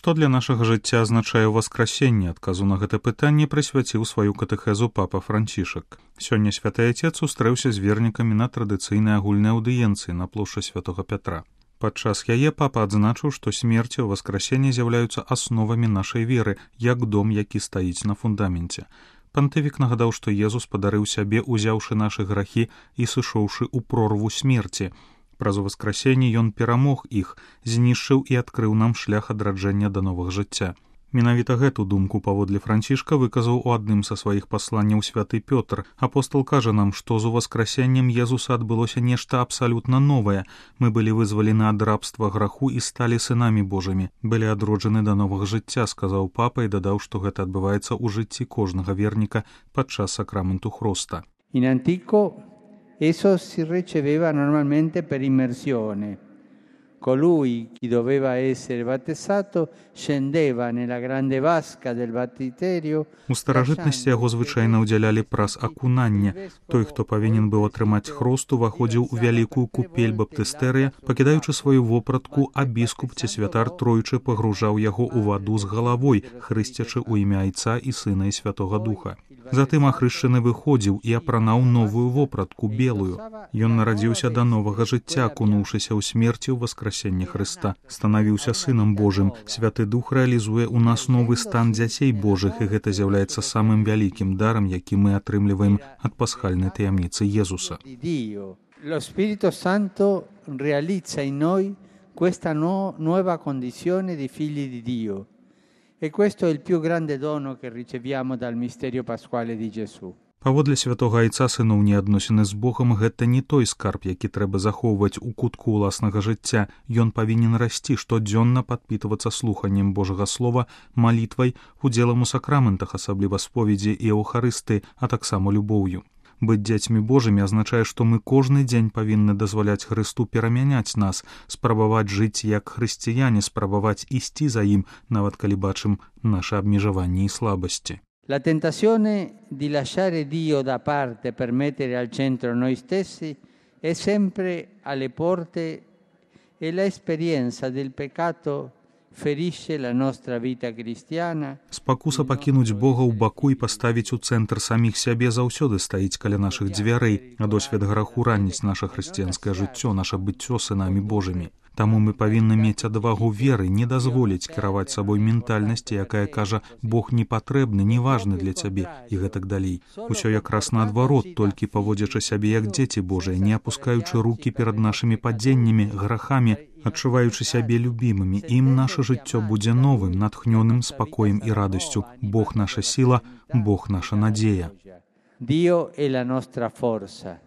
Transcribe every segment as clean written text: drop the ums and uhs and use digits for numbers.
Што для нашага жыцця азначае ўваскрасенне? Адказу на гэта пытанне прысвяціў сваю катэхезу папа Францішак. Сёння святы айцец сустрэўся з вернікамі на традыцыйнай агульнай аўдыенцыі на плошчы святога Пятра. Падчас яе папа адзначыў, што смерць і ўваскрасенне з'яўляюцца асновамі нашай веры, як дом, які стаіць на фундаменце. Пантыфік нагадаў, што Езус падарыў сябе, узяўшы нашы грахі і сышоўшы ў прорву смерці. Праз уваскрасенне ён перамог іх, знішчыў і адкрыў нам шлях адраджэння да новага жыцця. Менавіта гэту думку паводле Францішка выказаў у адным са сваіх пасланняў святы Пётр. Апостал кажа нам, што з уваскрасеннем Езуса адбылося нешта абсалютна новае. Мы былі вызвалены ад рабства граху і сталі сынамі Божымі. Былі адроджаны да новага жыцця, сказаў папа і дадаў, што гэта адбываецца ў жыцці кожнага верніка падчас сакраменту хроста. In antico esso si riceveva normalmente per immersione. Colui chi doveva essere battezzato scendeva nella grande vasca del battiterio. У старажытнасці яго звычайна ўдзялялі праз акунанне. Той, хто павінен быў атрымаць хрост, уваходзіў у вялікую купель баптыстэрыя, пакідаючы сваю вопратку, а біскуп ці святар тройчы пагружаў яго ў ваду з галавой, хрысцячы ў імя Айца і Сына і Святога Духа. Затым ахрышчаны выходзіў і апранаў новую вопратку, белую. Ён нарадзіўся да новага жыцця, акунуўшыся ў смерці ў васкрасенне Хрыста. Станавіўся Сынам Божым. Святы Дух рэалізуе ў нас новы стан дзяцей Божых, і гэта з'яўляецца самым вялікім дарам, які мы атрымліваем ад пасхальнай таямніцы Езуса. Lo Spirito Santo realizza in noi questa nuova condizione di figli di Dio. E questo è il più grande dono che riceviamo dal misterio pasquale di Gesù. Паводле святога Айца сыноўнія адносіны з Богам гэта не той скарб, які трэба захоўваць у кутку ўласнага жыцця. Ён павінен расці штодзённа, падпітвацца слуханнем Божага слова, малітвай, удзелам у сакраментах, асабліва споведзі і Еўхарысты, а таксама любоўю. Быць дзецьмі Божымі азначае, што мы кожны дзень павінны дазваляць Хрысту перамяняць нас, спрабаваць жыць як хрысціяне, спрабаваць ісці за ім, нават калі бачым нашы абмежаванні і слабасці. La tentazione di lasciare Dio da parte per mettere al centro noi stessi è sempre alle porte e l'esperienza del peccato ferisce la nostra vita cristiana. Спакуса пакінуць Бога ў баку і паставіць у цэнтр саміх сябе заўсёды стаіць каля нашых дзвярэй, а досвед граху раніць наша хрысціянскае жыццё, наша быццё сынамі Божымі. Таму мы павінны мець адвагу веры, не дазволіць кіраваць сабой ментальнасці, якая кажа «Бог не патрэбны, не важны для цябе» і гэтак далей. Усё якраз наадварот, толькі паводзячы сябе як дзеці Божыя, не апускаючы рукі перад нашымі падзеннямі, грахамі, адчуваючы сябе любімымі, ім наша жыццё будзе новым, натхнёным спакоем і радасцю. Бог наша сіла, Бог наша надзея. Dio è la nostra forza.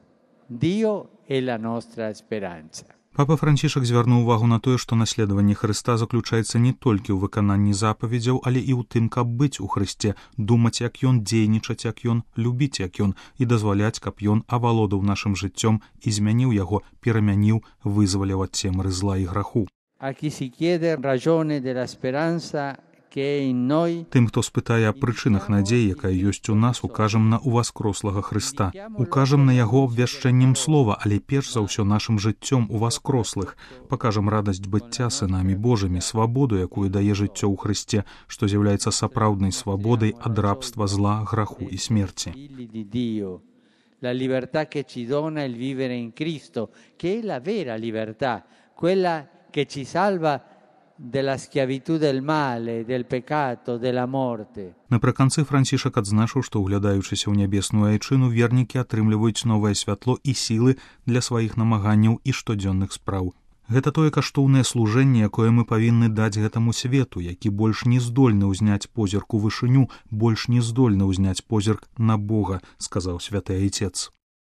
Dio è la nostra speranza. Папа Францішак звярнуў увагу на тое, што наследаванне Хрыста заключаецца не толькі ў выкананні запаведзяў, але і ў тым, каб быць у Хрысце, думаць, як ён, дзейнічаць, як ён, любіць, як ён, і дазваляць, каб ён авалодаў нашым жыццём і змяніў яго, перамяніў, вызваліў ад цемры зла і граху. A chi si chiede ragione della speranza che è in noi. Тым, хто спытае аб прычынах надзеі, якая ёсць у нас, укажам на ўваскрослага Хрыста. Укажам на яго абвяшчэннем слова, але перш за ўсё нашым жыццём уваскрослых. Пакажам радасць быцця сынамі Божымі, свабоду, якую дае жыццё ў Хрысце, што з'яўляецца сапраўднай свабодай ад рабства, зла, граху і смерці. La libertà che ci dona il vivere in Cristo, che è la vera libertà, quella che ci salva della schiavitù del male, del peccato, della morte. Напрыканцы Францішак адзначыў, што, углядаючыся ў нябесную айчыну, вернікі атрымліваюць новае святло і сілы для сваіх намаганняў і штодзённых спраў. Гэта тое каштоўнае служэнне, якое мы павінны даць гэтаму свету, які больш не здольны ўзняць позірк у вышыню, больш не здольны ўзняць позірк на Бога, сказаў святы айцец.